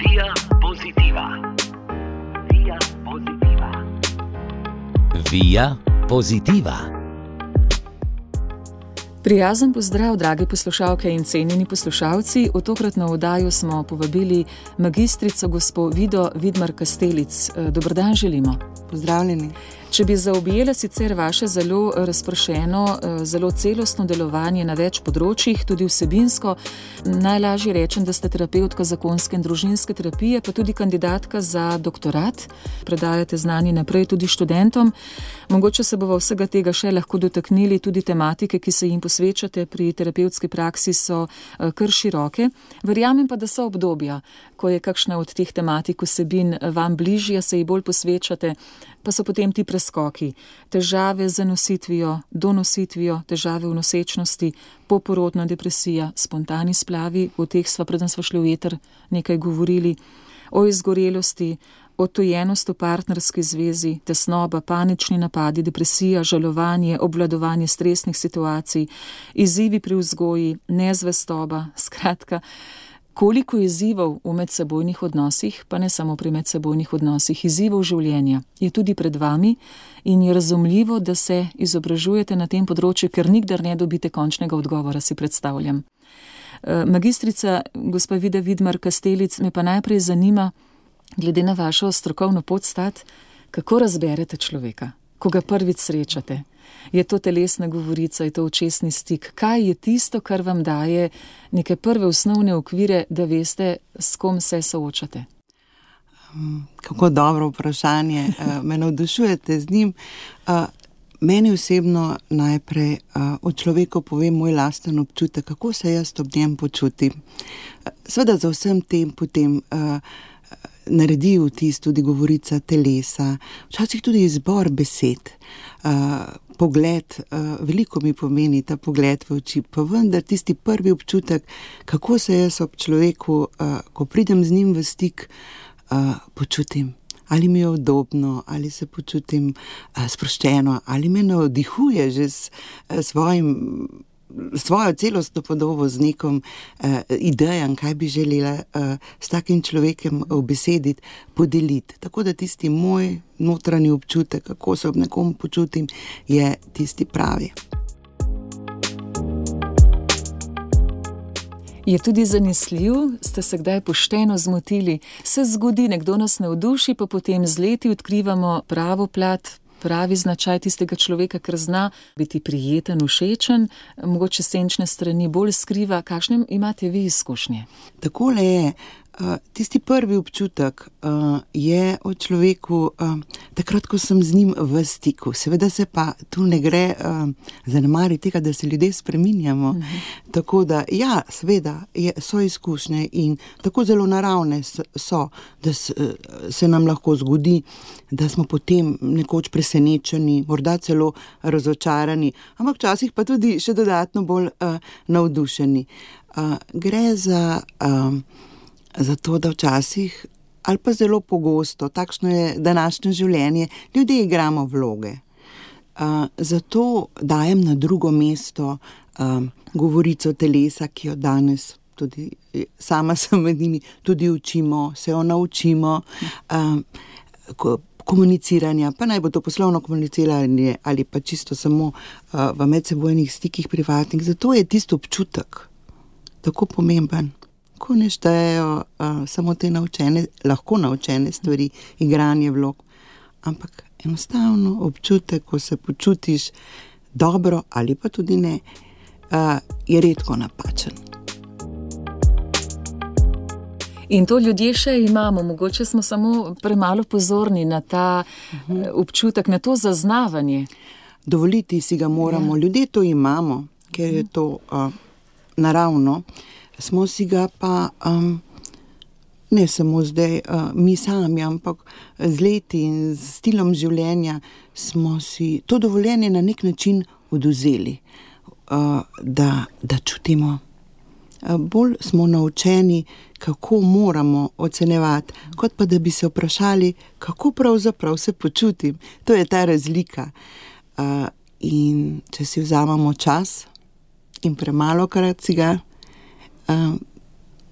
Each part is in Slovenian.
Via Positiva. Via Positiva. Via Positiva. Prijazen pozdrav, dragi poslušalke in cenjeni poslušalci. V tokratno oddajo smo povabili magistrico gospo Vido Vidmar-Kastelic. Dober dan želimo. Pozdravljeni. Če bi zaobjela sicer vaše zelo razpršeno, zelo celostno delovanje na več področjih, tudi vsebinsko, najlažje rečem, da ste terapevtka zakonske in družinske terapije, pa tudi kandidatka za doktorat. Predajate znanje naprej tudi študentom. Mogoče se bova vsega tega še lahko dotaknili, tudi tematike, ki se jim posvečate pri terapevtski praksi, so kar široke. Verjamem pa, da so obdobja, ko je kakšna od teh tematik vsebin vam bližja, se ji bolj posvečate, pa so potem ti preskoki. Težave z nositvijo, donositvijo, težave v nosečnosti, poporodna depresija, spontani splavi, o teh sva, preden sva šli v eter, nekaj govorili, o izgorelosti, odtujenost v partnerski zvezi, tesnoba, panični napadi, depresija, žalovanje, obvladovanje stresnih situacij, izzivi pri vzgoji, nezvestoba, skratka, koliko izzivov v medsebojnih odnosih, pa ne samo pri medsebojnih odnosih, izzivov življenja je tudi pred vami in je razumljivo, da se izobražujete na tem področju, ker nikdar ne dobite končnega odgovora, si predstavljam. Magistrica gospa Vida Vidmar-Kastelic, me pa najprej zanima, glede na vašo strokovno podstat, kako razberete človeka, ko ga prvič srečate? Je to telesna govorica, je to očesni stik? Kaj je tisto, kar vam daje neke prve osnovne okvire, da veste, s kom se soočate? Kako dobro vprašanje. Me navdušujete z njim. Meni osebno najprej o človeku povem moj lasten občutek, kako se jaz ob njem počutim. Seveda za vsem tem potem naredi vtis tudi govorica telesa, včasih tudi izbor besed, pogled, veliko mi pomeni ta pogled v oči, pa vendar tisti prvi občutek, kako se jaz ob človeku, ko pridem z njim v stik, počutim. Ali mi je udobno, ali se počutim sproščeno, ali me navdihuje že s svojo celostno podobo, z nekom idejam, kaj bi želela s takim človekom obesediti, podeliti. Tako da tisti moj notranji občutek, kako se ob nekom počutim, je tisti pravi. Je tudi zanesljiv? Ste se kdaj pošteno zmotili? Se zgodi, nekdo nas navduši, pa potem z leti odkrivamo pravo plat, pravi značaj tistega človeka, ker zna biti prijeten, všečen, mogoče senčne strani bolj skriva. Kakšne imate vi izkušnje? Takole je. Tisti prvi občutek je o človeku takrat, ko sem z njim v stiku. Seveda se pa tu ne gre zanemariti tega, da se ljudje spreminjamo. Tako da, ja, seveda so izkušnje in tako zelo naravne so, da se nam lahko zgodi, da smo potem nekoč presenečeni, morda celo razočarani, ampak včasih pa tudi še dodatno bolj navdušeni. Gre za to, da včasih, ali pa zelo pogosto, takšno je današnje življenje, ljudje igramo vloge. Zato dajem na drugo mesto govorico telesa, ki jo danes tudi sama sem med njimi, tudi učimo, se jo naučimo, komuniciranja, pa naj bo to poslovno komuniciranje ali pa čisto samo v medsebojnih stikih privatnih. Zato je tisti občutek tako pomemben. Ko ne štejejo samo te lahko naučene stvari, igranje vlog, ampak enostavno občutek, ko se počutiš dobro ali pa tudi ne, je redko napačen. In to ljudje še imamo, mogoče smo samo premalo pozorni na ta občutek, na to zaznavanje. Dovoliti si ga moramo, ljudje to imamo, ker je to naravno. Smo si ga pa, ne samo zdaj mi sami, ampak z leti in z stilom življenja smo si to dovoljenje na nek način odvzeli, da čutimo. Bolj smo naučeni, kako moramo ocenjevati, kot pa da bi se vprašali, kako pravzaprav se počutim. To je ta razlika. In če si vzamemo čas in premalokrat si ga,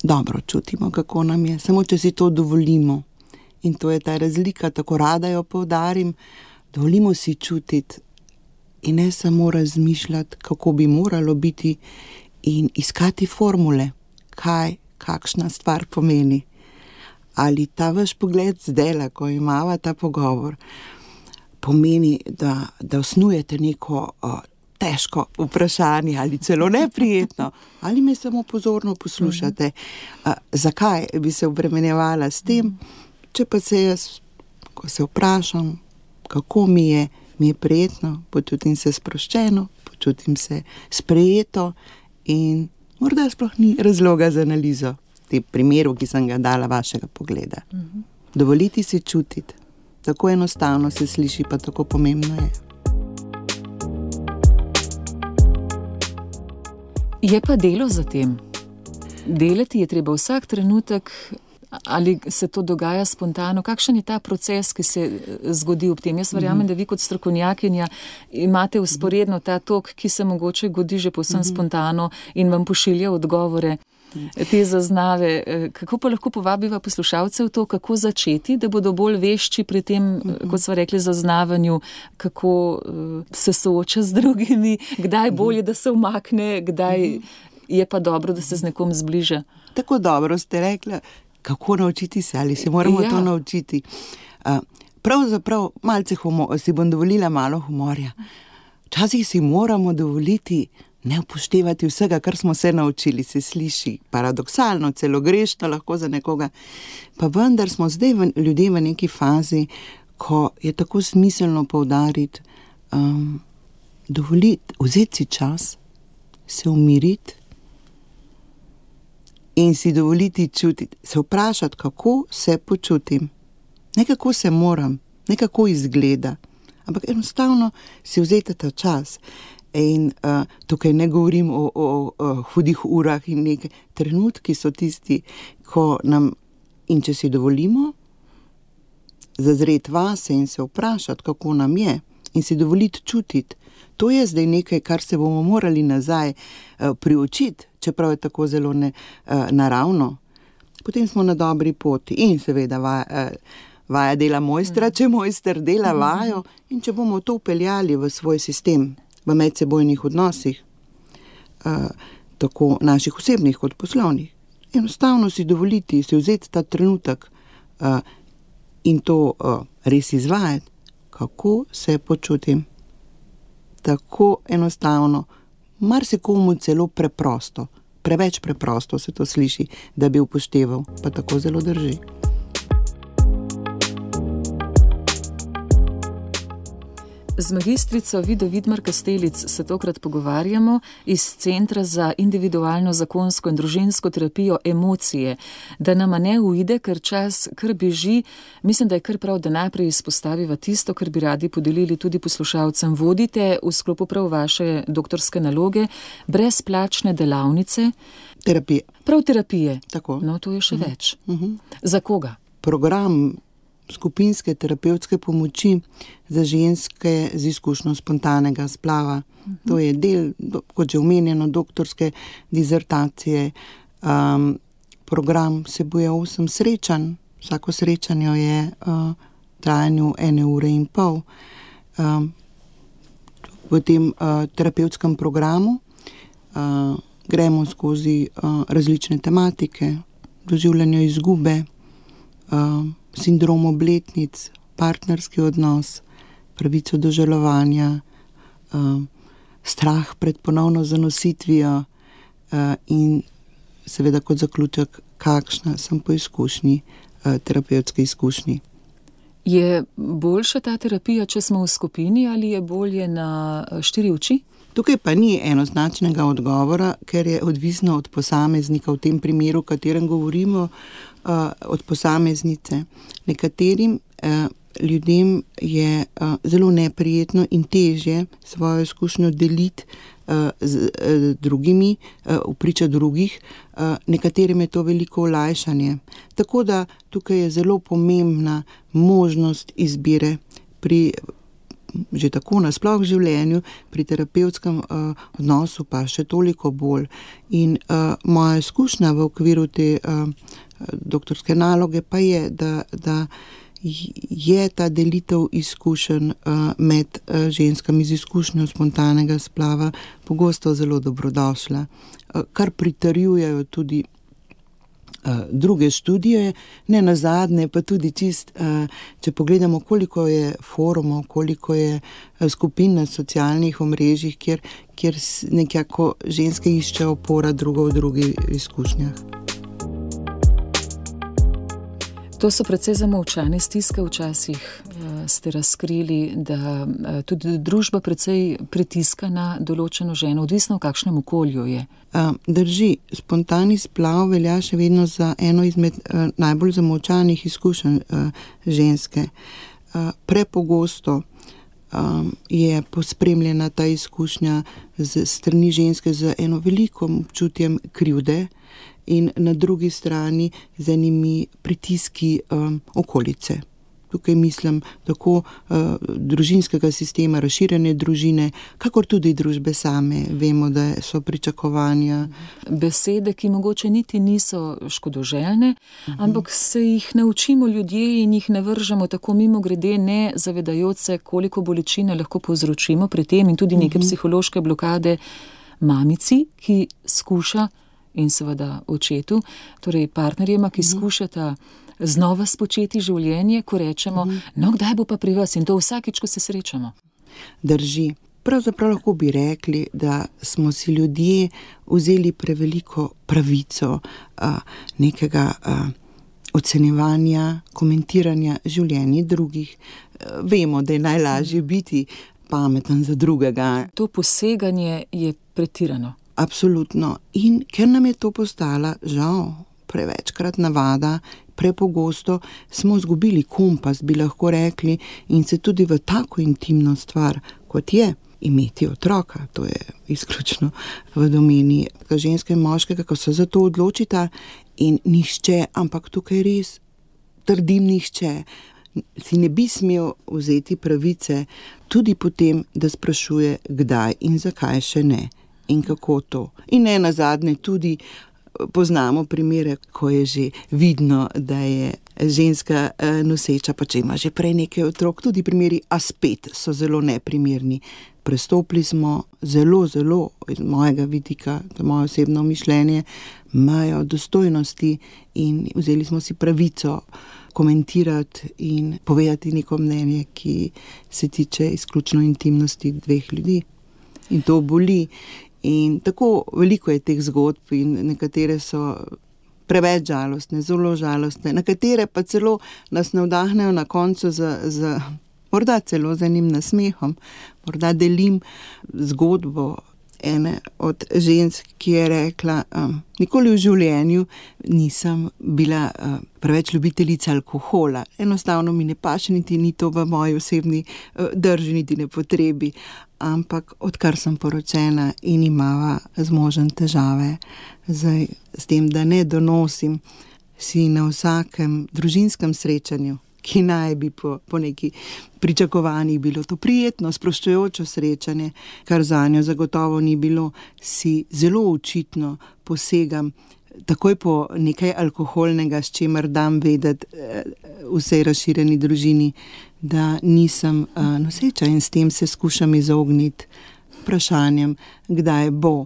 dobro čutimo, kako nam je, samo če si to dovolimo. In to je ta razlika, tako rada jo poudarim, dovolimo si čutiti in ne samo razmišljati, kako bi moralo biti in iskati formule, kakšna stvar pomeni. Ali ta vaš pogled zdajle, ko imava ta pogovor, pomeni, da osnujete neko težko vprašanje ali celo neprijetno, ali me samo pozorno poslušate, zakaj bi se obremenjevala s tem, če pa se jaz, ko se vprašam, kako mi je prijetno, počutim se sproščeno, počutim se sprejeto in morda sploh ni razloga za analizo v tem primeru, ki sem ga dala vašega pogleda. Dovoliti si čutiti. Tako enostavno se sliši, pa tako pomembno je. Je pa delo za tem. Delati je treba vsak trenutek, ali se to dogaja spontano? Kakšen je ta proces, ki se zgodi ob tem? Jaz verjamem, da vi kot strokovnjakinja imate vzporedno ta tok, ki se mogoče godi že povsem spontano in vam pošilja odgovore, te zaznave. Kako pa lahko povabiva poslušalce v to, kako začeti, da bodo bolj vešči pri tem, kot sva rekli, zaznavanju, kako se sooča z drugimi, kdaj bolje, da se umakne, kdaj je pa dobro, da se z nekom zbliža? Tako dobro ste rekla. Kako naučiti se, ali se moramo to naučiti. Pravzaprav malce si bom dovolila malo humorja. Včasih si moramo dovoliti ne upoštevati vsega, kar smo se naučili, se sliši paradoksalno, celo grešno lahko za nekoga. Pa vendar smo zdaj ljudje v neki fazi, ko je tako smiselno poudariti, dovoliti, vzeti si čas, se umiriti, in si dovoliti čutiti, se vprašati, kako se počutim. Ne kako se moram, ne kako izgleda, ampak enostavno si vzeti ta čas. In tukaj ne govorim o hudih urah in nekaj. Trenutki so tisti, ko nam, in če si dovolimo, zazreti vase in se vprašati, kako nam je, in si dovoliti čutiti. To je zdaj nekaj, kar se bomo morali nazaj priučiti, čeprav je tako zelo naravno. Potem smo na dobri poti in seveda vaja dela mojstra, če mojster dela vajo, in če bomo to upeljali v svoj sistem, v medsebojnih odnosih, tako naših osebnih kot poslovnih. Enostavno si dovoliti, si vzeti ta trenutek in to res izvajati, kako se počutim. Tako enostavno, marsikomu celo preprosto, preveč preprosto se to sliši, da bi upošteval, pa tako zelo drži. Z magistrico Vido Vidmar Kastelic se tokrat pogovarjamo iz Centra za individualno zakonsko in družinsko terapijo Emocije. Da nama ne uide, ker čas kar beži, mislim, da je kar prav, da najprej izpostaviva tisto, kar bi radi podelili tudi poslušalcem. Vodite v sklopu prav vaše doktorske naloge brezplačne delavnice. Terapije. Prav terapije. Tako. No, to je še več. Za koga? Program skupinske terapevtske pomoči za ženske z izkušnjo spontanega splava. To je del, kot že omenjeno, doktorske dizertacije. Program vsebuje 8 srečanj. Vsako srečanje je v trajanju 1,5 ure. V tem terapevtskem programu gremo skozi različne tematike, doživljanje izgube, sindrom obletnic, partnerski odnos, pravico do žalovanja, strah pred ponovno zanositvijo in seveda kot zaključek, kakšna sem po izkušnji, terapevtski izkušnji. Je boljša ta terapija, če smo v skupini, ali je bolje na 4 oči? Tukaj pa ni enoznačnega odgovora, ker je odvisno od posameznika, v tem primeru, o katerem govorimo, od posameznice. Nekaterim ljudem je zelo neprijetno in težje svojo izkušnjo deliti z drugimi, vpriča drugih, nekaterim je to veliko olajšanje. Tako da tukaj je zelo pomembna možnost izbire pri že tako nasploh v življenju, pri terapevtskem odnosu pa še toliko bolj. In moja izkušnja v okviru te doktorske naloge pa je, da je ta delitev izkušenj med ženskami z izkušnjo spontanega splava pogosto zelo dobrodošla, kar pritrjujejo tudi druge študije, ne nazadnje, pa tudi če pogledamo, koliko je forumov, koliko je skupin na socialnih omrežjih, kjer nekako ženske iščejo opora drugo v drugih izkušnjah. To so precej zamolčane stiske, včasih ste razkrili, da tudi družba precej pritiska na določeno ženo, odvisno v kakšnem okolju je. Drži, spontani splav velja še vedno za eno izmed najbolj zamolčanih izkušenj ženske. Prepogosto je pospremljena ta izkušnja z strani ženske z eno velikim občutjem krivde in na drugi strani z enimi pritiski okolice. Tukaj mislim tako družinskega sistema, razširjene družine, kakor tudi družbe same. Vemo, da so pričakovanja. Besede, ki mogoče niti niso škodoželjne, ampak se jih naučimo ljudje in jih ne vržemo tako mimogrede, ne zavedajoč se, koliko bolečine lahko povzročimo pri tem in tudi neke psihološke blokade mamici, ki skuša, in seveda očetu, torej partnerjema, ki skušata znova spočeti življenje, ko rečemo, no kdaj bo pa pri vas, in to vsakič, ko se srečamo. Drži. Pravzaprav lahko bi rekli, da smo si ljudje vzeli preveliko pravico nekega ocenjevanja, komentiranja življenja drugih. Vemo, da je najlažje biti pameten za drugega. To poseganje je pretirano. Absolutno. In ker nam je to postala, žal, prevečkrat navada, prepogosto smo izgubili kompas, bi lahko rekli, in se tudi v tako intimno stvar, kot je imeti otroka, to je izključno v domeni ženske in moškega, ko se za to odločita, in nihče, ampak tukaj res trdim nihče, si ne bi smel vzeti pravice tudi potem, da sprašuje, kdaj in zakaj še ne. In kako to. In ne nazadnje tudi poznamo primere, ko je že vidno, da je ženska noseča, pa če ima že prej nekaj otrok, tudi primeri, a spet so zelo neprimerni. Prestopili smo zelo, iz mojega vidika, to moje osebno mišljenje, mejo dostojnosti in vzeli smo si pravico komentirati in povedati neko mnenje, ki se tiče izključno intimnosti dveh ljudi. In to boli. In tako veliko je teh zgodb in nekatere so preveč žalostne, zelo žalostne, nekatere pa celo nas navdahnejo na koncu z morda celo z enim nasmehom. Morda delim zgodbo ene od žensk, ki je rekla, nikoli v življenju nisem bila preveč ljubiteljica alkohola. Enostavno mi ne paše, niti ni to v moji osebni drži, niti ne potrebi. Ampak odkar sem poročena in imava z možem težave, zdaj s tem, da ne donosim, si na vsakem družinskem srečanju, ki naj bi po neki pričakovanjih bilo to prijetno, sproščujoče srečanje, kar zanjo zagotovo ni bilo, si zelo očitno posegam takoj po nekaj alkoholnega, s čemer dam vedeti vsej razširjeni družini, da nisem noseča, in s tem se skušam izogniti vprašanjem, kdaj bo.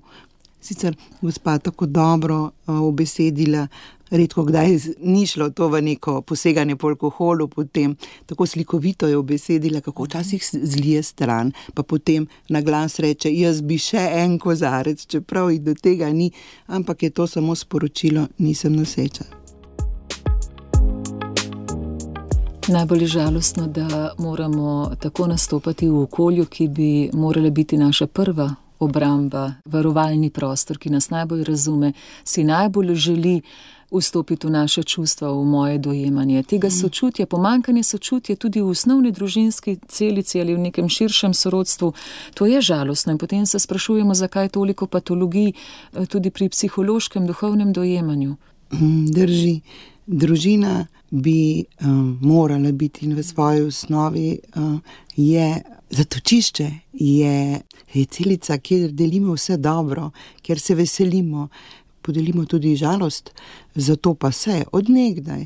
Sicer gospa tako dobro ubesedila, redko kdaj ni šlo to v neko poseganje po alkoholu, potem tako slikovito je ubesedila, kako včasih zlije stran, pa potem na glas reče, jaz bi še en kozarec, čeprav jih do tega ni, ampak je to samo sporočilo, nisem noseča. Najbolj žalostno, da moramo tako nastopati v okolju, ki bi morala biti naša prva obramba, varovalni prostor, ki nas najbolj razume, si najbolj želi vstopiti v naše čustva, v moje dojemanje. Tega sočutja, pomanjkanje sočutja tudi v osnovni družinski celici ali v nekem širšem sorodstvu, to je žalostno in potem se sprašujemo, zakaj toliko patologij tudi pri psihološkem, duhovnem dojemanju. Drži. Družina bi morala biti in v svoji osnovi je Zatočišče je celica, kjer delimo vse dobro, kjer se veselimo, podelimo tudi žalost, zato pa se od nekdaj,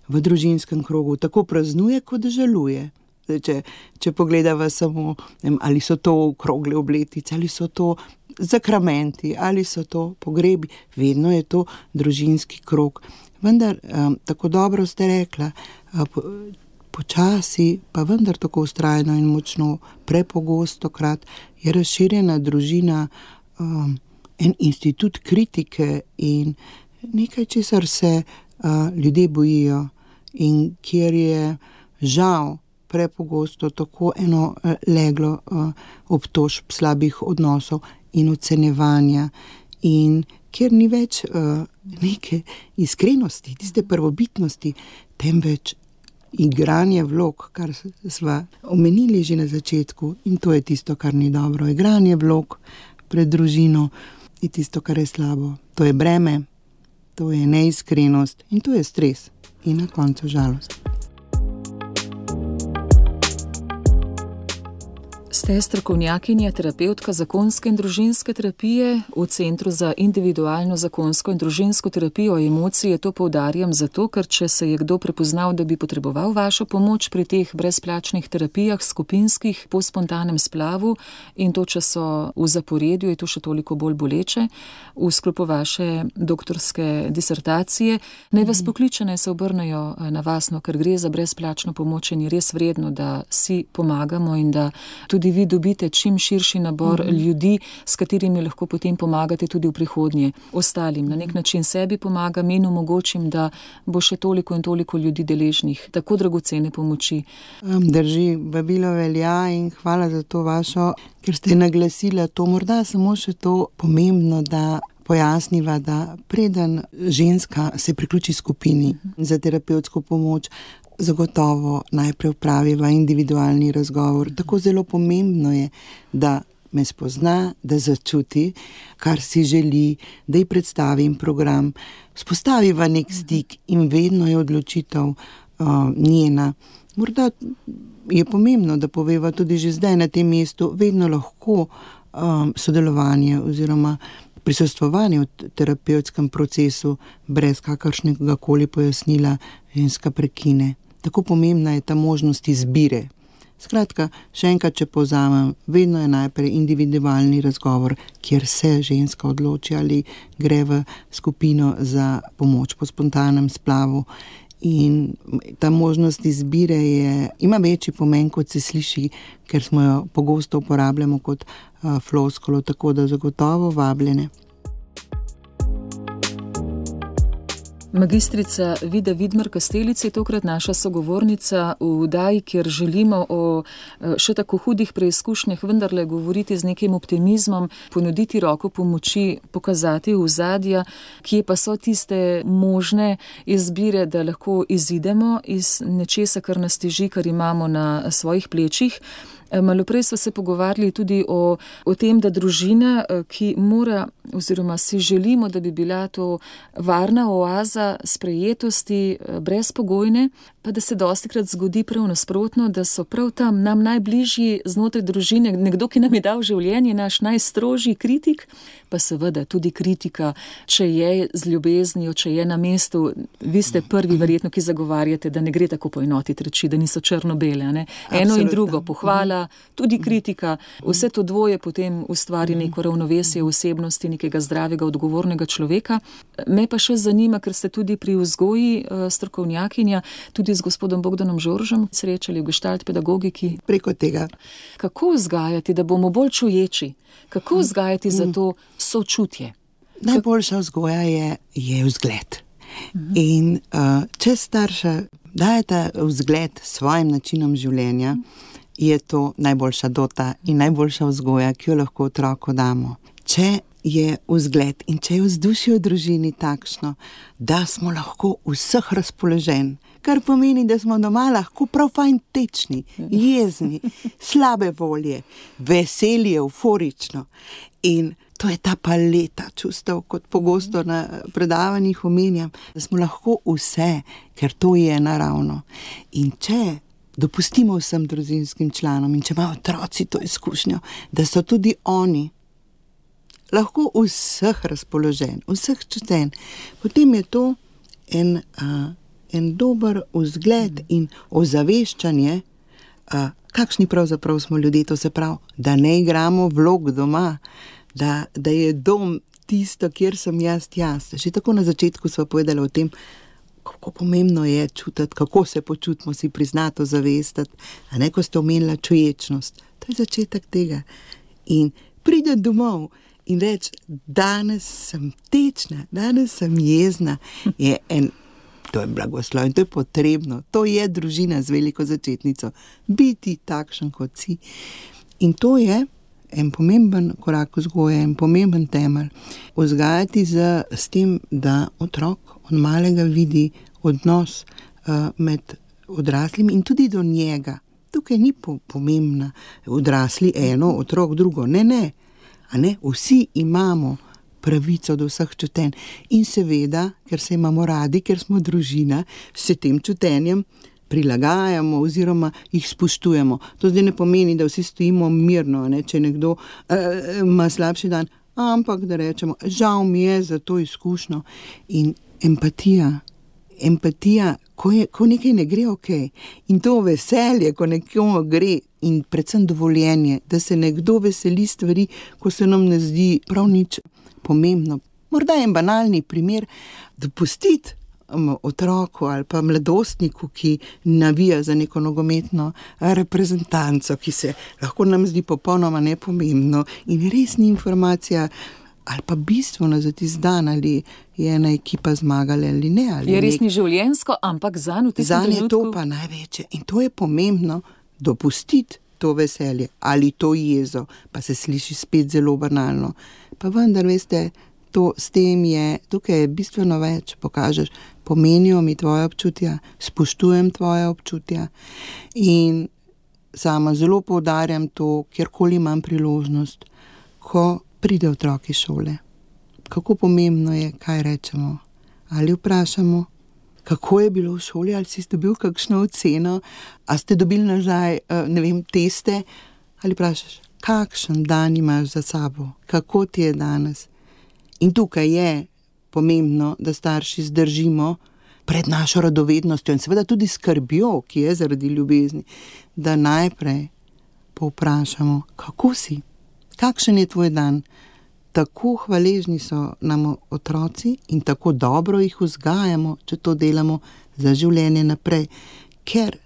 v družinskem krogu tako praznuje, kot žaluje. Če pogledava samo, ali so to okrogle obletice, ali so to zakramenti, ali so to pogrebi, vedno je to družinski krog. Vendar, tako dobro ste rekla, počasi, pa vendar tako vztrajno in močno, prepogostokrat je razširjena družina en institut kritike in nekaj, česar se ljudje bojijo in kjer je žal prepogosto tako eno leglo obtožb slabih odnosov in ocenjevanja in kjer ni več neke iskrenosti, tiste prvobitnosti, temveč igranje vlog, kar sva omenili že na začetku, in to je tisto, kar ni dobro. Igranje vlog pred družino je tisto, kar je slabo. To je breme, to je neiskrenost in to je stres in na koncu žalost. Ste strokovnjakinja, terapevtka zakonske in družinske terapije v Centru za individualno zakonsko in družinsko terapijo emocije. To poudarjam zato, ker če se je kdo prepoznal, da bi potreboval vašo pomoč pri teh brezplačnih terapijah, skupinskih, po spontanem splavu, in to, če so v zaporedju, je to še toliko bolj boleče v sklopu vaše doktorske disertacije. Naj vas pokliče, naj se obrnejo na vas, ker gre za brezplačno pomoč in je res vredno, da si pomagamo in da tudi vi dobite čim širši nabor ljudi, s katerimi lahko potem pomagate tudi v prihodnje ostalim. Na nek način sebi pomagam in omogočim, da bo še toliko in toliko ljudi deležnih tako dragocene pomoči. Drži, vabilo velja in hvala za to vašo, ker ste naglasila to. Morda samo še to pomembno, da pojasniva, da preden ženska se priključi skupini za terapevtsko pomoč, zagotovo najprej opraviva individualni razgovor. Tako zelo pomembno je, da me spozna, da začuti, kar si želi, da ji predstavim program, vzpostaviva nek stik in vedno je odločitev njena. Morda je pomembno, da poveva tudi že zdaj na tem mestu, vedno lahko sodelovanje oziroma prisostvovanje v terapevtskem procesu brez kakršnega koli pojasnila ženska prekine. Tako pomembna je ta možnost izbire. Skratka, še enkrat, če povzamem, vedno je najprej individualni razgovor, kjer se ženska odloči, ali gre v skupino za pomoč po spontanem splavu. In ta možnost izbire ima večji pomen, kot se sliši, ker smo jo pogosto uporabljamo kot floskolo, tako da zagotovo vabljene. Magistrica Vida Vidmar Kastelic je tokrat naša sogovornica v oddaji, kjer želimo o še tako hudih preizkušnjah vendarle govoriti z nekim optimizmom, ponuditi roko pomoči, pokazati ozadja, kje pa so tiste možne izbire, da lahko izidemo iz nečesa, kar nas teži, kar imamo na svojih plečih. Malo prej smo se pogovarjali tudi o tem, da družina, ki mora oziroma si želimo, da bi bila to varna oaza sprejetosti brezpogojne, pa da se dostikrat zgodi prav nasprotno, da so prav tam nam najbližji znotraj družine, nekdo, ki nam je dal življenje, naš najstrožji kritik, pa seveda tudi kritika, če je z ljubeznijo, če je na mestu. Vi ste prvi verjetno, ki zagovarjate, da ne gre tako poenotiti reči, da niso črno-bele. Ne? Eno in drugo, pohvala, tudi kritika, vse to dvoje potem ustvari neko ravnovesje osebnosti, nekega zdravega, odgovornega človeka. Me pa še zanima, ker ste tudi pri vzgoji strokovnjakinja, tudi z gospodom Bogdanom Žoržem srečali v gestalt pedagogiki. Preko tega. Kako vzgajati, da bomo bolj čuječi? Kako vzgajati za to sočutje? Najboljša vzgoja je vzgled. In če starša dajeta vzgled svojim načinom življenja, je to najboljša dota in najboljša vzgoja, ki jo lahko otroku damo. Če je vzgled in če je vzdušje v družini takšno, da smo lahko vseh razpoložen, kar pomeni, da smo doma lahko prav fajn tečni, jezni, slabe volje, veseli, euforično. In to je ta paleta čustev, kot pogosto na predavanjih omenjam, da smo lahko vse, ker to je naravno. In če dopustimo vsem družinskim članom in če imajo otroci to izkušnjo, da so tudi oni lahko vseh razpoložen, vseh čuten, potem je to en dober vzgled in ozaveščanje, kakšni pravzaprav smo ljudje, to se pravi, da ne igramo vlog doma, da je dom tisto, kjer sem jaz. Že tako na začetku sva povedala o tem, kako pomembno je čutiti, kako se počutimo, si priznato zavestiti, a ne, ko ste omenila čuječnost. To je začetek tega. In pride domov in reči, danes sem tečna, danes sem jezna, to je blagoslov in to je potrebno. To je družina z veliko začetnico. Biti takšen, kot si. In to je en pomemben korak vzgoje, en pomemben temelj. Vzgajati s tem, da otrok od malega vidi odnos med odraslimi in tudi do njega. Tukaj ni pomembna odrasli eno, otrok drugo. Ne. A ne? Vsi imamo pravico do vseh čutenj. In seveda, ker se imamo radi, ker smo družina, se tem čutenjem prilagajamo oziroma jih spoštujemo. To zdaj ne pomeni, da vsi stojimo mirno, ne? Če nekdo ima slabši dan, ampak da rečemo, žal mi je za to izkušnjo. In empatija, ko nekaj ne gre okej. In to veselje, ko nekomu gre, in predvsem dovoljenje, da se nekdo veseli stvari, ko se nam ne zdi prav nič pomembno. Morda je en banalni primer, dopustiti otroku ali pa mladostniku, ki navija za neko nogometno reprezentanco, ki se lahko nam zdi popolnoma nepomembno in res ni informacija ali pa bistveno za tisti dan, ali je ena ekipa zmagala ali ne. Ali je res ni življenjsko, ampak zanj v tistem trenutku. Je to pa največje in to je pomembno, dopustiti to veselje ali to jezo, pa se sliši spet zelo banalno. Pa vendar, veste, s tem tukaj je bistveno več, pokažeš, pomenijo mi tvoje občutja, spoštujem tvoje občutja in sama zelo poudarjam to, kjerkoli imam priložnost, ko pride otrok iz šole. Kako pomembno je, kaj rečemo, ali vprašamo, kako je bilo v šoli, ali si dobil kakšno oceno, ali ste dobili nazaj, teste, ali vprašaš, kakšen dan imaš za sabo, kako ti je danes. In tukaj je pomembno, da starši zdržimo pred našo radovednostjo in seveda tudi skrbjo, ki je zaradi ljubezni, da najprej povprašamo, kako si, kakšen je tvoj dan. Tako hvaležni so nam otroci in tako dobro jih vzgajamo, če to delamo za življenje naprej, ker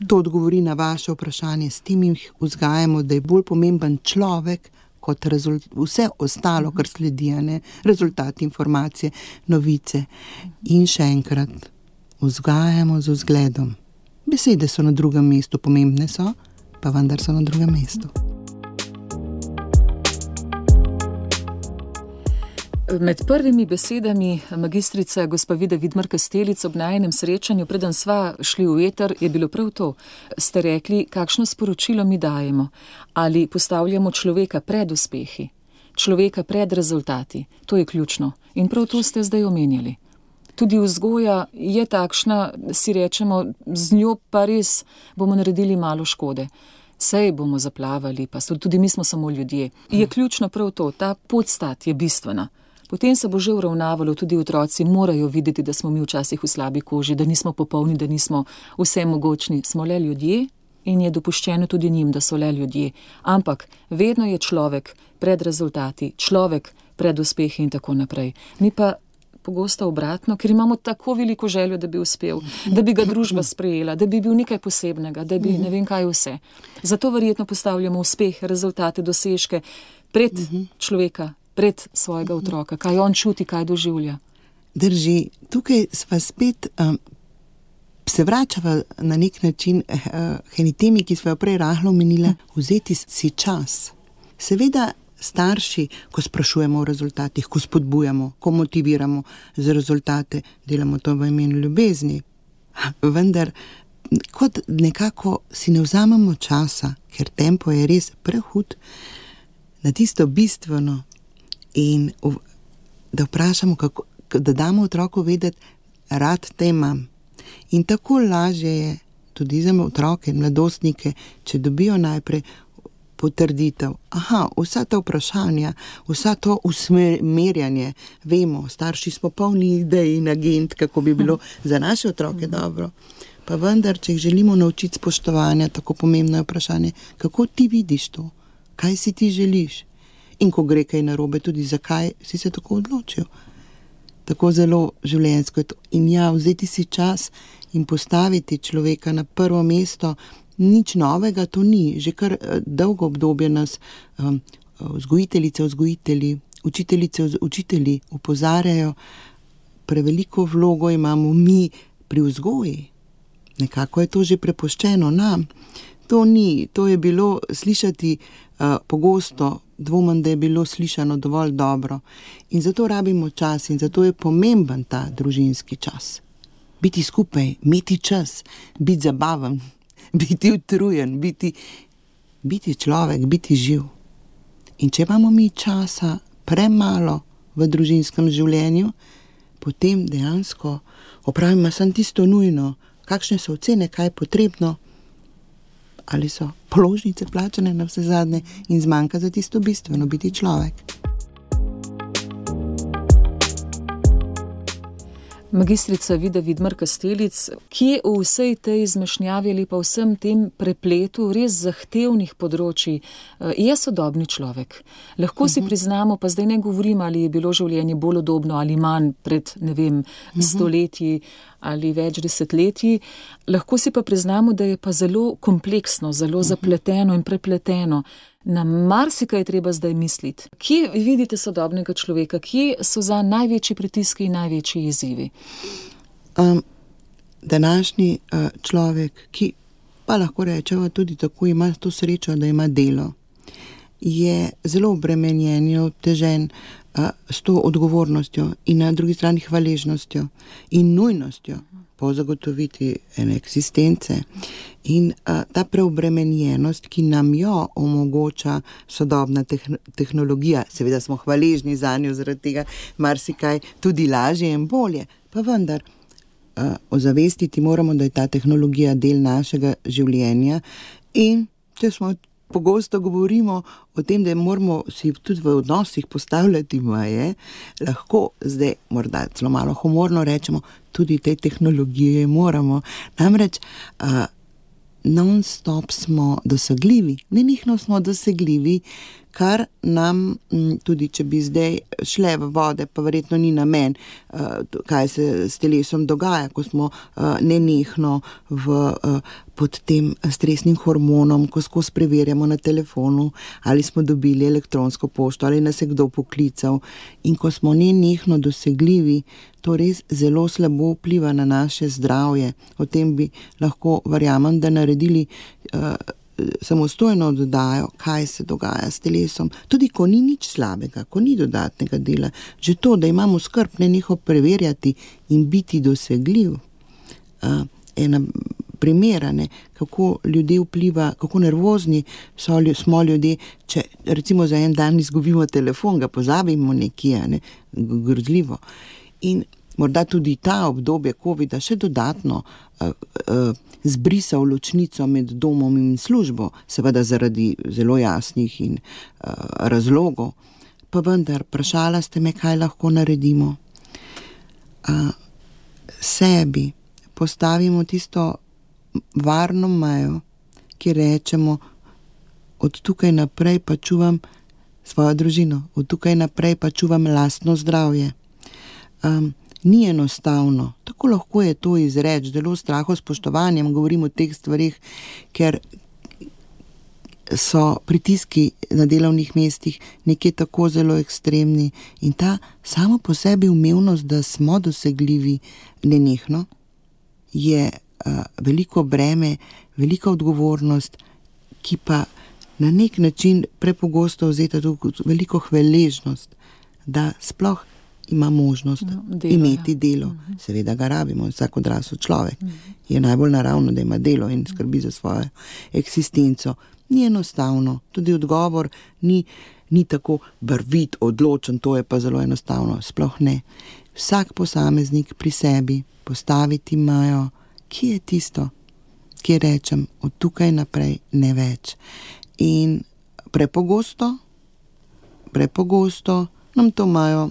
to odgovori na vaše vprašanje, s tem jih vzgajamo, da je bolj pomemben človek kot vse ostalo, kar sledi, rezultati, informacije, novice. In še enkrat, vzgajamo z vzgledom. Besede so na drugem mestu, pomembne so, pa vendar so na drugem mestu. Med prvimi besedami magistrice gospa Vida Vidmar Kastelic ob najinem srečanju, preden sva šli v eter, je bilo prav to. Ste rekli, kakšno sporočilo mi dajemo, ali postavljamo človeka pred uspehi, človeka pred rezultati. To je ključno. In prav to ste zdaj omenjali. Tudi vzgoja je takšna, si rečemo, z njo pa res bomo naredili malo škode. Sej bomo zaplavali, pa tudi mi smo samo ljudje. Je ključno prav to, ta podstat je bistvena. Potem se bo že uravnavalo, tudi otroci morajo videti, da smo mi včasih v slabi koži, da nismo popolni, da nismo vse mogočni. Smo le ljudje in je dopuščeno tudi njim, da so le ljudje. Ampak vedno je človek pred rezultati, človek pred uspehi in tako naprej. Mi pa pogosto obratno, ker imamo tako veliko željo, da bi uspel, da bi ga družba sprejela, da bi bil nekaj posebnega, da bi ne vem kaj vse. Zato verjetno postavljamo uspeh, rezultate, dosežke pred človeka, pred svojega otroka, kaj on čuti, kaj doživlja. Drži, tukaj sva spet se vračava na nek način k eni temi, ki sva jo prej rahlo omenila, vzeti si čas. Seveda starši, ko sprašujemo o rezultatih, ko spodbujamo, ko motiviramo za rezultate, delamo to v imenu ljubezni. Vendar, kot nekako si ne vzamemo časa, ker tempo je res prehud, na tisto bistveno in da vprašamo, da damo otroku vedeti, rad te imam. In tako lažje je tudi za otroke in mladostnike, če dobijo najprej potrditev. Vsa ta vprašanja, vsa to usmerjanje, vemo, starši smo polni idej in agent, kako bi bilo za naše otroke dobro. Pa vendar, če jih želimo naučiti spoštovanja, tako pomembno je vprašanje, kako ti vidiš to, kaj si ti želiš in ko gre kaj narobe, tudi zakaj si se tako odločil. Tako zelo življenjsko je to. In vzeti si čas in postaviti človeka na prvo mesto, nič novega to ni. Že kar dolgo obdobje nas vzgojiteljice, vzgojitelji, učiteljice, učitelji opozarjajo, preveliko vlogo imamo mi pri vzgoji. Nekako je to že prepuščeno nam. To je bilo slišati pogosto, dvomim, da je bilo slišano dovolj dobro. In zato rabimo čas in zato je pomemben ta družinski čas. Biti skupaj, imeti čas, biti zabaven, biti utrujen, biti človek, biti živ. In če imamo mi časa premalo v družinskem življenju, potem dejansko opravimo samo tisto nujno, kakšne so ocene, kaj je potrebno, ali so položnice plačane na vse zadnje in zmanjka za tisto bistveno, biti človek. Magistrica Vida Vidmar-Kastelic, kje v vsej tej zmešnjavi ali pa vsem tem prepletu res zahtevnih področij je sodobni človek? Lahko si priznamo, pa zdaj ne govorim, ali je bilo življenje bolj udobno ali manj pred, stoletji ali več desetletji. Lahko si pa priznamo, da je pa zelo kompleksno, zelo zapleteno in prepleteno. Na marsikaj je treba zdaj misliti. Kje vidite sodobnega človeka? Kje so za največji pritiski in največji izzivi? Današnji človek, ki pa lahko rečemo tudi tako, ima to srečo, da ima delo, je zelo obremenjen, je obtežen s to odgovornostjo in na drugi strani hvaležnostjo in nujnostjo po zagotoviti ene eksistence. In ta preobremenjenost, ki nam jo omogoča sodobna tehnologija, seveda smo hvaležni zanjo, zaradi tega marsikaj tudi lažje in bolje, pa vendar ozavestiti moramo, da je ta tehnologija del našega življenja in če smo pogosto govorimo o tem, da moramo si tudi v odnosih postavljati meje, lahko zdaj morda celo malo humorno rečemo, tudi te tehnologije moramo. Namreč non-stop smo dosegljivi, nenehno smo dosegljivi, kar nam, tudi če bi zdaj šle v vode, pa verjetno ni namen, kaj se s telesom dogaja, ko smo nenehno pod tem stresnim hormonom, ko skozi preverjamo na telefonu, ali smo dobili elektronsko pošto, ali nas je kdo poklical. In ko smo nenehno dosegljivi, to res zelo slabo vpliva na naše zdravje. O tem bi lahko, verjamem, da naredili samostojno oddajo, kaj se dogaja s telesom. Tudi ko ni nič slabega, ko ni dodatnega dela, že to, da imamo skrb nenehno preverjati in biti dosegljiv. Ena primera, kako ljudje vpliva, kako nervozni smo ljudje, če recimo za en dan izgubimo telefon, ga pozabimo nekje, grozljivo. In morda tudi ta obdobje covida še dodatno zbrisal ločnico med domom in službo, seveda zaradi zelo jasnih in razlogov. Pa vendar, vprašala ste me, kaj lahko naredimo. Sebi postavimo tisto varno mejo, ki rečemo, od tukaj naprej pa čuvam svojo družino, od tukaj naprej pa čuvam lastno zdravje. Ni enostavno, tako lahko je to izreči, zelo strahospoštovanjem govorim o teh stvarih, ker so pritiski na delovnih mestih nekje tako zelo ekstremni in ta samo po sebi umevnost, da smo dosegljivi nenehno, je veliko breme, velika odgovornost, ki pa na nek način prepogosto vzeta tudi veliko hvaležnost, da sploh ima možnost imeti delo. Seveda ga rabimo, vsak odrasel človek je najbolj naravno, da ima delo in skrbi za svojo eksistenco. Ni enostavno, tudi odgovor ni tako barvit, odločen, to je pa zelo enostavno, sploh ne. Vsak posameznik pri sebi postaviti mejo, ki je tisto, kjer rečem, od tukaj naprej ne več. In prepogosto nam to imajo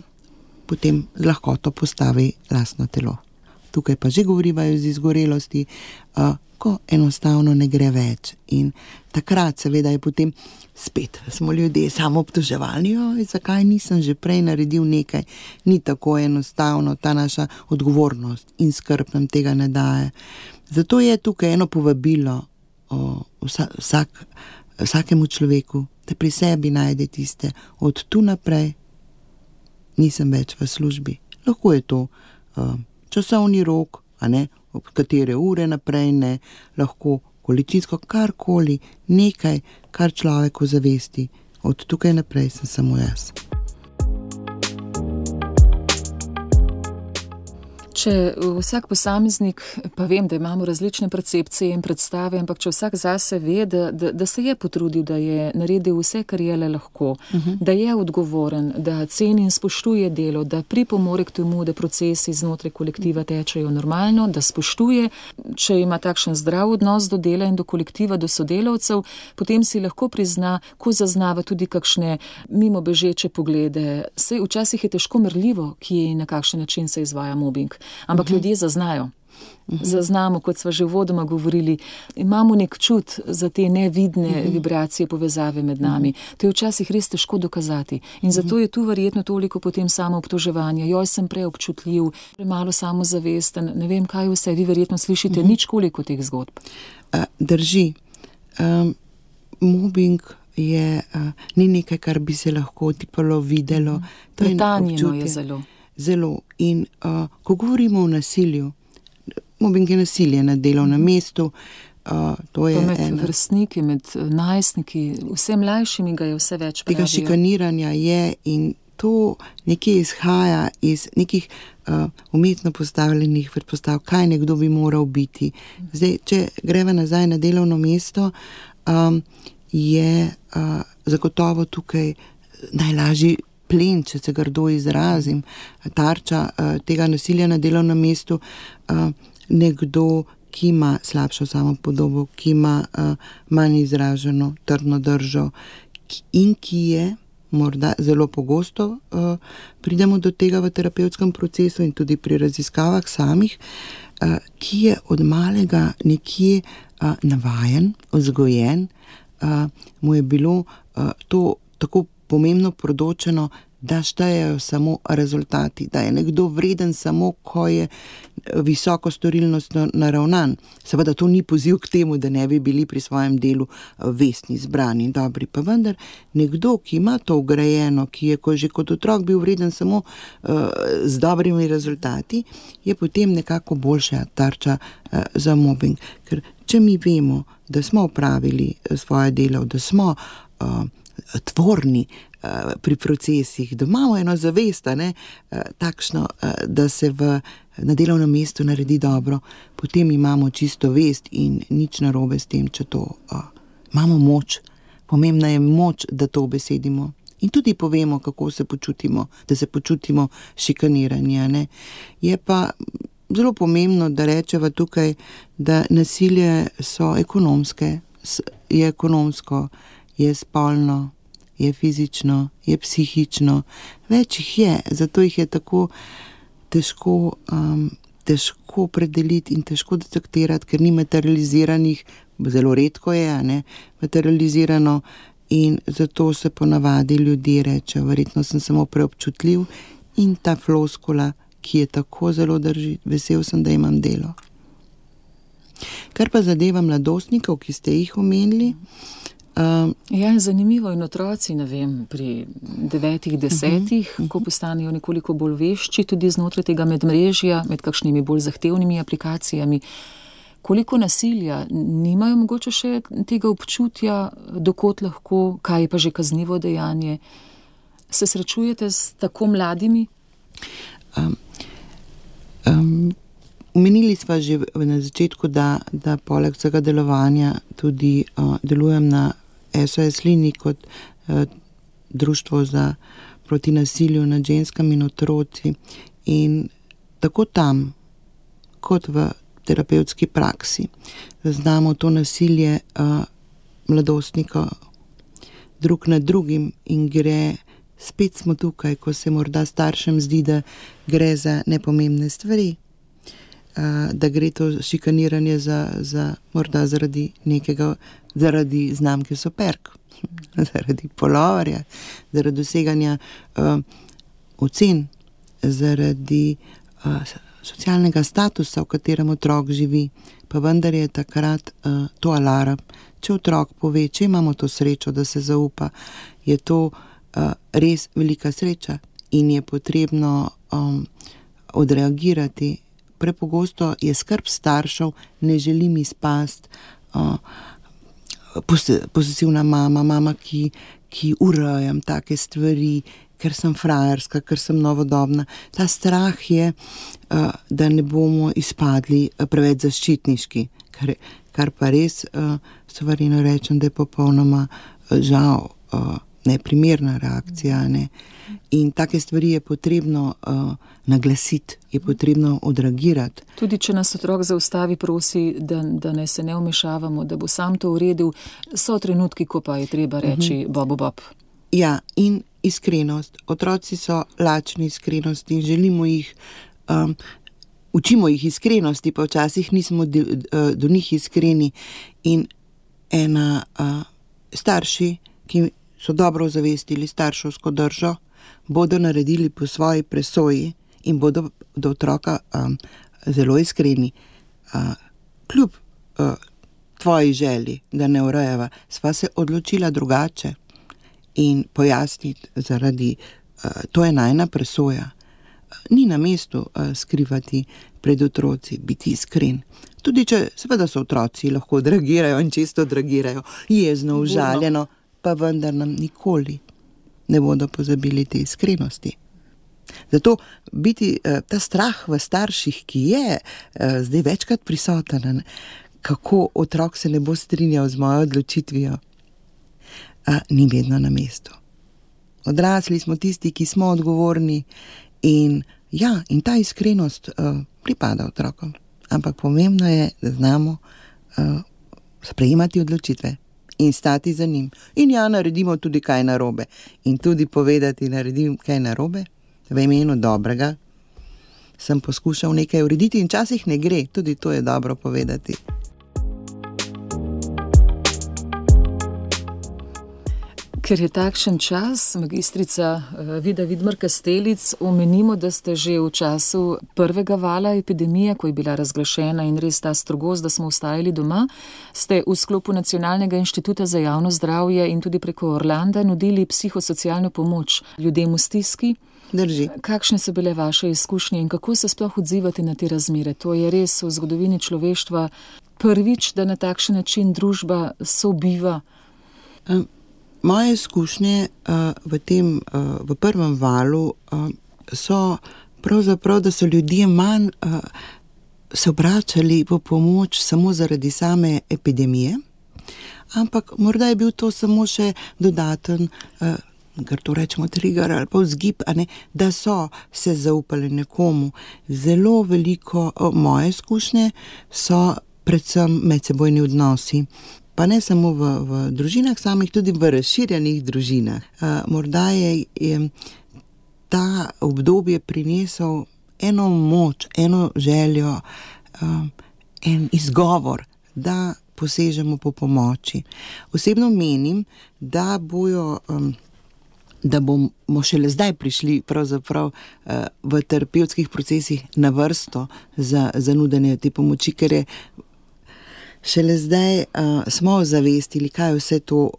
potem z lahkoto postavi lastno telo. Tukaj pa že govorivajo z izgorelosti, ko enostavno ne gre več. In takrat seveda je potem spet, smo ljudje samo obtoževalni, zakaj nisem že prej naredil nekaj. Ni tako enostavno, ta naša odgovornost in skrb nam tega ne daje. Zato je tukaj eno povabilo vsakemu človeku, da pri sebi najde tiste, od tu naprej nisem več v službi. Lahko je to časovni rok, a ne, ob katere ure naprej ne, lahko količinsko karkoli, nekaj, kar človeku zavesti. Od tukaj naprej sem samo jaz. Če vsak posameznik, pa vem, da imamo različne percepcije in predstave, ampak če vsak zase ve, da se je potrudil, da je naredil vse, kar je le lahko, da je odgovoren, da ceni in spoštuje delo, da pripomore k temu, da procesi znotraj kolektiva tečejo normalno, da spoštuje, če ima takšen zdrav odnos do dela in do kolektiva, do sodelavcev, potem si lahko prizna, ko zaznava tudi kakšne mimobežeče poglede. Saj včasih je težko merljivo, kje in na kakšen način se izvaja mobing. Ampak ljudje zaznajo. Zaznamo, kot sva že uvodoma govorili, imamo nek čut za te nevidne vibracije, povezave med nami. To je včasih res težko dokazati. In zato je tu verjetno toliko potem samo obtoževanja. Joj, sem preobčutljiv, premalo samozavesten, ne vem kaj vse. Vi verjetno slišite nič koliko teh zgodb. Drži. Mobbing ni nekaj, kar bi se lahko tipalo videlo. Pretanjeno je zelo. Zelo. In ko govorimo o nasilju, mobbing je nasilje na delovnem mestu, to je med vrstniki, med najstniki, vse mlajšimi ga je vse več pravijo. Tega šikaniranja je in to nekje izhaja iz nekih umetno postavljenih predpostav, kaj nekdo bi moral biti. Zdaj, če greva nazaj na delovno mesto, je zagotovo tukaj najlažji plen, če se grdo izrazim, tarča tega nasilja na delovnem mestu, nekdo, ki ima slabšo samopodobo, ki ima manj izraženo trdno držo in ki je, morda zelo pogosto pridemo do tega v terapevtskem procesu in tudi pri raziskavah samih, ki je od malega nekje navajen, vzgojen, mu je bilo to tako pomembno predočeno, da štejejo samo rezultati, da je nekdo vreden samo, ko je visoko storilnostno naravnan. Seveda to ni poziv k temu, da ne bi bili pri svojem delu vestni, zbrani in dobri, pa vendar nekdo, ki ima to vgrajeno, ki je že kot otrok bil vreden samo z dobrimi rezultati, je potem nekako boljša tarča za mobbing. Ker če mi vemo, da smo opravili svoje delo, da smo tvorni pri procesih, da imamo eno zavest, takšno, da se na delovnem mestu naredi dobro, potem imamo čisto vest in nič narobe s tem, če to imamo moč. Pomembna je moč, da to besedimo in tudi povemo, kako se počutimo, da se počutimo šikaniranje. Je pa zelo pomembno, da rečeva tukaj, da nasilje so ekonomske, je ekonomsko, je spolno, je fizično, je psihično, več jih je, zato jih je tako težko predeliti in težko detektirati, ker ni materializiranih, zelo redko je, materializirano in zato se ponavadi ljudje rečejo, verjetno sem samo preobčutljiv in ta floskula, ki je tako zelo drži, vesel sem, da imam delo. Kar pa zadeva mladostnikov, ki ste jih omenili, Ja, zanimivo in otroci, ne vem, pri 9, 10, ko postanejo nekoliko bolj vešči, tudi znotraj tega medmrežja, med kakšnimi bolj zahtevnimi aplikacijami. Koliko nasilja, nimajo mogoče še tega občutja, dokot lahko, kaj je pa že kaznivo dejanje? Se srečujete s tako mladimi? Omenili sva že na začetku, da poleg vsega delovanja tudi delujem na SOS liniji kot društvo proti nasilju nad ženskami in otroci in tako tam kot v terapevtski praksi. Zaznamo to nasilje mladostnikov drug nad drugim in gre, spet smo tukaj, ko se morda staršem zdi, da gre za nepomembne stvari, da gre to šikaniranje morda zaradi znamke Superg, zaradi polovarja, zaradi doseganja ocen, zaradi socialnega statusa, v katerem otrok živi, pa vendar je takrat to alarm. Če otrok pove, če imamo to srečo, da se zaupa, je to res velika sreča in je potrebno odreagirati. Prepogosto je skrb staršev, ne želim izpasti, posesivna mama, ki urejam take stvari, ker sem frajerska, ker sem novodobna. Ta strah je, da ne bomo izpadli preveč zaščitniški, kar pa res stvarno rečem, da je popolnoma žal neprimerna reakcija. Ne? In take stvari je potrebno naglasiti, je potrebno odreagirati. Tudi če nas otrok zaustavi, prosi, da ne se ne vmešavamo, da bo sam to uredil, so trenutki, ko pa je treba reči bob. Ja, in iskrenost. Otroci so lačni iskrenosti in želimo jih, učimo jih iskrenosti, pa včasih nismo do njih iskreni. In starši, ki so dobro ozavestili starševsko držo, bodo naredili po svoji presoji in bodo do otroka zelo iskreni. Kljub tvoji želji, da ne urejava, sva se odločila drugače in pojasniti zaradi, to je najina presoja. Ni na mestu skrivati pred otroci, biti iskren. Tudi če seveda so otroci, lahko odreagirajo in čisto odreagirajo, jezno, užaljeno, pa vendar nam nikoli ne bodo pozabili te iskrenosti. Zato biti ta strah v starših, ki je zdaj večkrat prisoten, kako otrok se ne bo strinjal z mojo odločitvijo, ni vedno na mestu. Odrasli smo tisti, ki smo odgovorni in ta iskrenost pripada otrokom. Ampak pomembno je, da znamo sprejemati odločitve in stati za njim. In naredimo tudi kaj narobe. In tudi povedati, naredim kaj narobe, v imenu dobrega. Sem poskušal nekaj urediti in včasih ne gre, tudi to je dobro povedati. Ker je takšen čas, magistrica Vida Vidmar-Kastelic, omenimo, da ste že v času prvega vala epidemije, ko je bila razglašena in res ta strogost, da smo ostajali doma, ste v sklopu Nacionalnega inštituta za javno zdravje in tudi preko Orlanda nudili psihosocialno pomoč ljudem v stiski. Drži. Kakšne so bile vaše izkušnje in kako se sploh odzivati na te razmere? To je res v zgodovini človeštva prvič, da na takšen način družba sobiva. Moje izkušnje v prvem valu so pravzaprav, da so ljudje manj se obračali po pomoč samo zaradi same epidemije, ampak morda je bil to samo še dodaten, kar to rečemo trigger ali pa vzgib, da so se zaupali nekomu. Zelo veliko moje izkušnje so predvsem medsebojni odnosi. Pa ne samo v družinah samih, tudi v razširjenih družinah. Morda je ta obdobje prinesel eno moč, eno željo, en izgovor, da posežemo po pomoči. Osebno menim, da bomo šele zdaj prišli pravzaprav v terapevtskih procesih na vrsto za nudenje te pomoči, ker je šele zdaj smo ozavestili, kaj vse to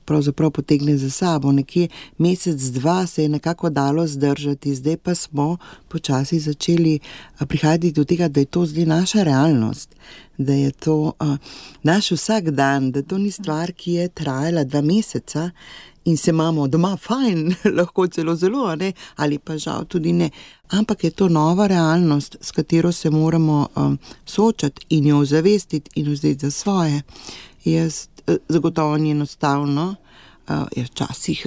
pravzaprav potegne za sabo. Nekje mesec, dva se je nekako dalo zdržati, zdaj pa smo počasi začeli prihajati do tega, da je to zdaj naša realnost, da je to naš vsak dan, da to ni stvar, ki je trajala 2 meseca in se imamo doma fajn, lahko celo zelo, ali pa žal tudi ne. Ampak je to nova realnost, s katero se moramo soočati in jo ozavestiti in vzeti za svoje. Jaz zagotovo ni enostavno, jaz včasih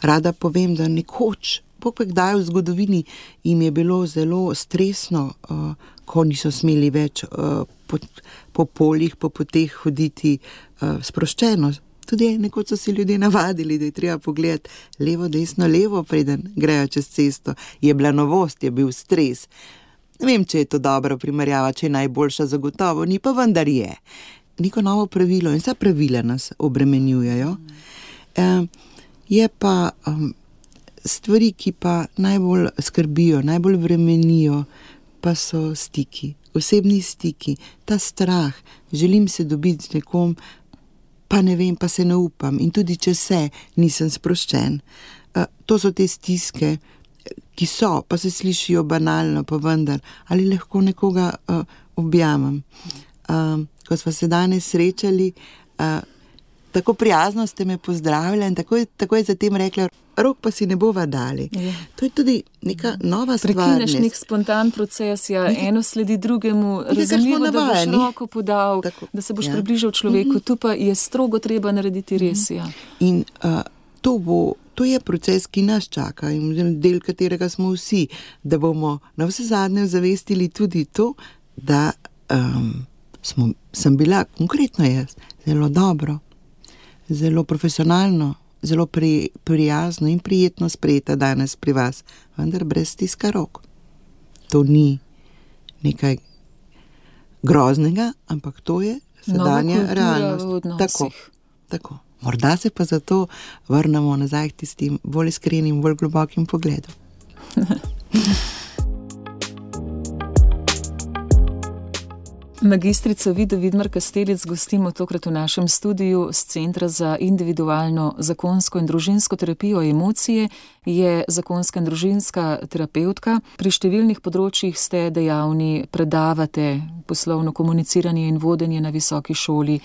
rada povem, da nekoč, kdaj v zgodovini jim je bilo zelo stresno, ko niso smeli več po poljih, po poteh hoditi sproščeno. Tudi nekoč so se ljudje navadili, da je treba pogledati levo, desno, levo, preden grejo čez cesto. Je bila novost, je bil stres. Ne vem, če je to dobra primerjava, če je najboljša, zagotovo ni, pa vendar je. Neko novo pravilo in vsa pravila nas obremenjujejo. Je pa stvari, ki pa najbolj skrbijo, najbolj vremenijo, pa so stiki, osebni stiki, ta strah, želim se dobiti z nekom, pa ne vem, pa se ne upam in tudi če nisem sproščen. To so te stiske, ki so, pa se slišijo banalno, pa vendar, ali lahko nekoga objamem. Ko smo se danes srečali, tako prijazno ste me pozdravili in tako je zatem rekla, rok pa si ne bova dali. Je. To je tudi neka nova stvarnost. Prekineš nek spontan proces, eno sledi drugemu, razumljivo, da boš roko podal, tako, da se boš približal človeku, tu pa je strogo treba narediti res. Ja. In to je proces, ki nas čaka in del katerega smo vsi, da bomo na vse zadnje zavestili tudi to, da sem bila, konkretno jaz, zelo dobro, zelo profesionalno, zelo prijazno in prijetno sprejeta danes pri vas, vendar brez stiska rok. To ni nekaj groznega, ampak to je sedanja realnost. Tako. Morda se pa zato vrnemo nazaj k tistim bolj iskrenim, bolj globokim pogledom. Magistrico Vido Vidmar Kastelic gostimo tokrat v našem studiu z Centra za individualno zakonsko in družinsko terapijo emocije. Je zakonska in družinska terapevtka. Pri številnih področjih ste dejavni, predavate poslovno komuniciranje in vodenje na visoki šoli,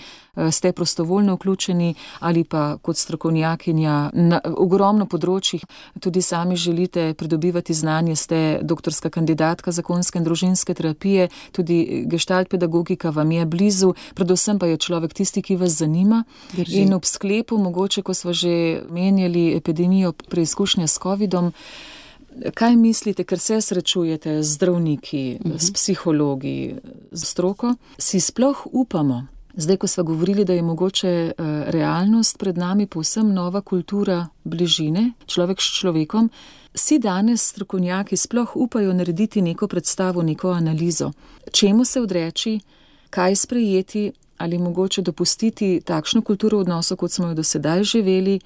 ste prostovoljno vključeni ali pa kot strokovnjakinja na ogromno področjih. Tudi sami želite pridobivati znanje, ste doktorska kandidatka zakonske in družinske terapije, tudi gestalt pedagogika vam je blizu, predvsem pa je človek tisti, ki vas zanima. Drži. In ob sklepu, mogoče, ko sva že menjali epidemijo preizkušnje s covidom, kaj mislite, ker se srečujete z zdravniki, s psihologi, z stroko, si sploh upamo? Zdaj, ko sva govorili, da je mogoče realnost pred nami povsem nova kultura bližine, človek s človekom, si danes strokovnjaki sploh upajo narediti neko predstavo, neko analizo. Čemu se odreči, kaj sprejeti ali mogoče dopustiti takšno kulturo odnosov, kot smo jo do sedaj živeli,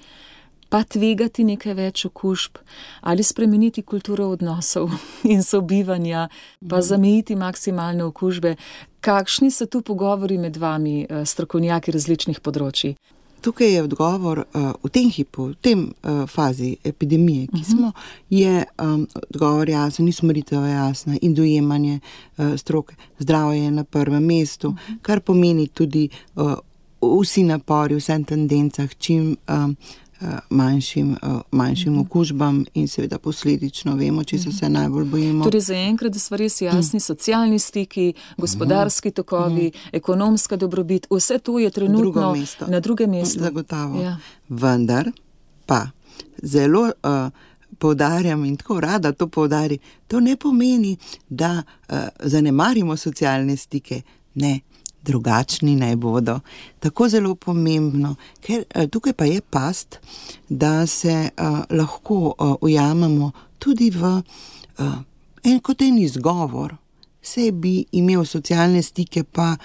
pa tvegati nekaj več okužb ali spremeniti kulturo odnosov in sobivanja, pa zamejiti maksimalne okužbe. Kakšni so tu pogovori med vami, strokovnjaki različnih področji? Tukaj je odgovor v tem hipu, v tem fazi epidemije, ki smo, je odgovor jasen, usmeritev jasna in dojemanje stroke. Zdravje je na prvem mestu, kar pomeni tudi vsi napori, vsem tendencah, čim manjšim okužbam in seveda posledično vemo, če se najbolj bojimo. Torej zaenkrat, da so res jasni socialni stiki, gospodarski tokovi, ekonomska dobrobit, vse to je trenutno na drugem mestu. Zagotovo. Ja. Vendar pa zelo poudarjam in tako rada to poudari, to ne pomeni, da zanemarimo socialne stike. Ne. Drugačni naj bodo. Tako zelo pomembno, ker tukaj pa je past, da se lahko ujamemo tudi v kot en izgovor. Saj bi imel socialne stike, pa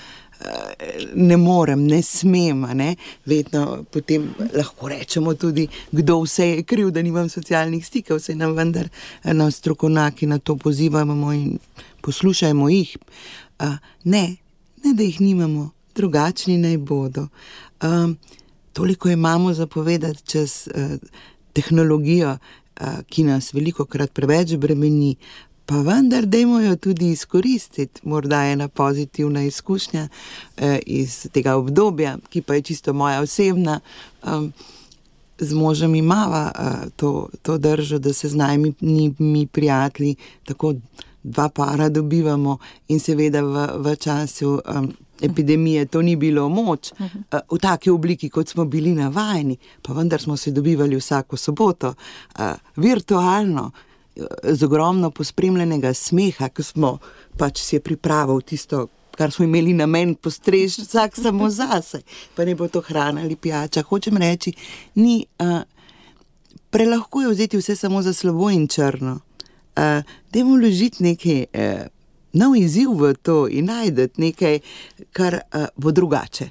ne morem, ne smem, ne? Vedno potem lahko rečemo tudi, kdo vse je kriv, da nimam socialnih stikov, vse nam vendar na strokovnjaki na to pozivamo in poslušajmo jih. Ne, da jih nimamo, drugačni naj bodo. Toliko imamo za povedati čez tehnologijo, ki nas velikokrat preveč bremeni, pa vendar dajmo jo tudi izkoristiti. Morda je ena pozitivna izkušnja iz tega obdobja, ki pa je čisto moja osebna. Z možem imava to držo, da se z nami prijatelji tako 2 para dobivamo in seveda v času epidemije to ni bilo moč v taki obliki, kot smo bili navajeni, pa vendar smo se dobivali vsako soboto virtualno z ogromno pospremljenega smeha, ko smo pač si je pripravil tisto, kar smo imeli namen postreči, vsak samo zase, pa ne bo to hrana ali pijača. Hočem reči, ni prelahko je vzeti vse samo za slabo in črno. Dajmo vložiti nekaj nov izziv v to in najdeti nekaj, kar bo drugače.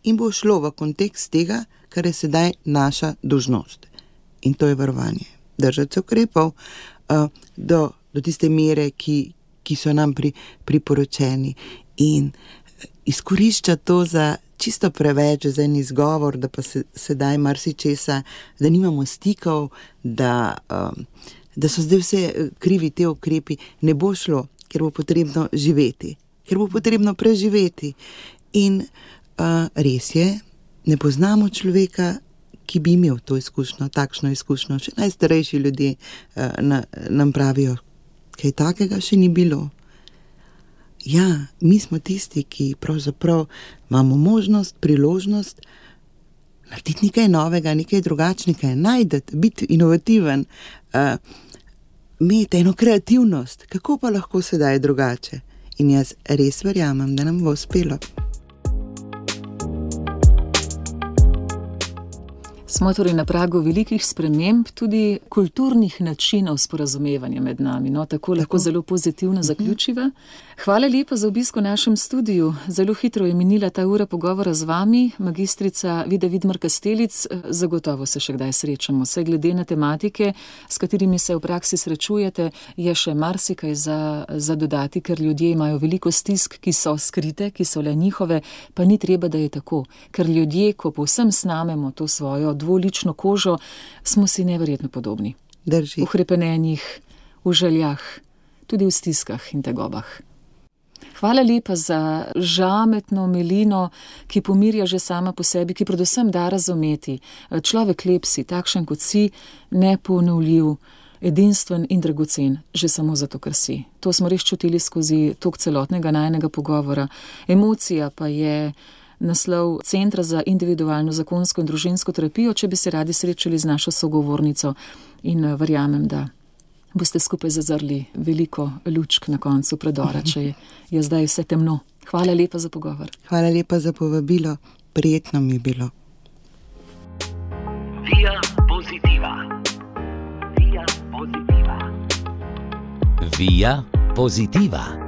In bo šlo v kontekst tega, kar je sedaj naša dolžnost. In to je varovanje. Držati se ukrepov do tiste mere, ki so nam priporočeni. In izkorišča to za čisto preveč, za en izgovor, da pa sedaj marsičesa, da nimamo stikov, da so zdaj vse krivi te ukrepi, ne bo šlo, ker bo potrebno živeti, ker bo potrebno preživeti. In res je, ne poznamo človeka, ki bi imel to izkušnjo, takšno izkušnjo. Še najstarejši ljudje nam pravijo, kaj takega še ni bilo. Ja, mi smo tisti, ki pravzaprav imamo možnost, priložnost narediti nekaj novega, nekaj drugačnega, najdeti, biti inovativen, imeti eno kreativnost. Kako pa lahko sedaj drugače? In jaz res verjamem, da nam bo uspelo. Smo torej na pragu velikih sprememb, tudi kulturnih načinov sporazumevanja med nami. No, tako lahko zelo pozitivno zaključiva. Hvala lepa za obisk v našem studiu. Zelo hitro je minila ta ura pogovora z vami, magistrica Vida Vidmar-Kastelic. Zagotovo se še kdaj srečamo. Saj glede na tematike, s katerimi se v praksi srečujete, je še marsikaj za dodati, ker ljudje imajo veliko stisk, ki so skrite, ki so le njihove, pa ni treba, da je tako. Ker ljudje, ko povsem snamemo to svojo dvolično kožo, smo si neverjetno podobni. Drži. V hrepenenjih, v željah, tudi v stiskah in tegobah. Hvala lepa za žametno milino, ki pomirja že sama po sebi, ki predvsem da razumeti. Človek lep si, takšen kot si, neponovljiv, edinstven in dragocen, že samo zato, ker si. To smo res čutili skozi tok celotnega najinega pogovora. Emocija pa je naslov Centra za individualno zakonsko in družinsko terapijo, če bi se radi srečali z našo sogovornico, in verjamem, da boste skupaj zazrli veliko lučk na koncu predora, če je zdaj vse temno. Hvala lepa za pogovor. Hvala lepa za povabilo. Prijetno mi je bilo. Via Positiva. Via Positiva. Via Positiva.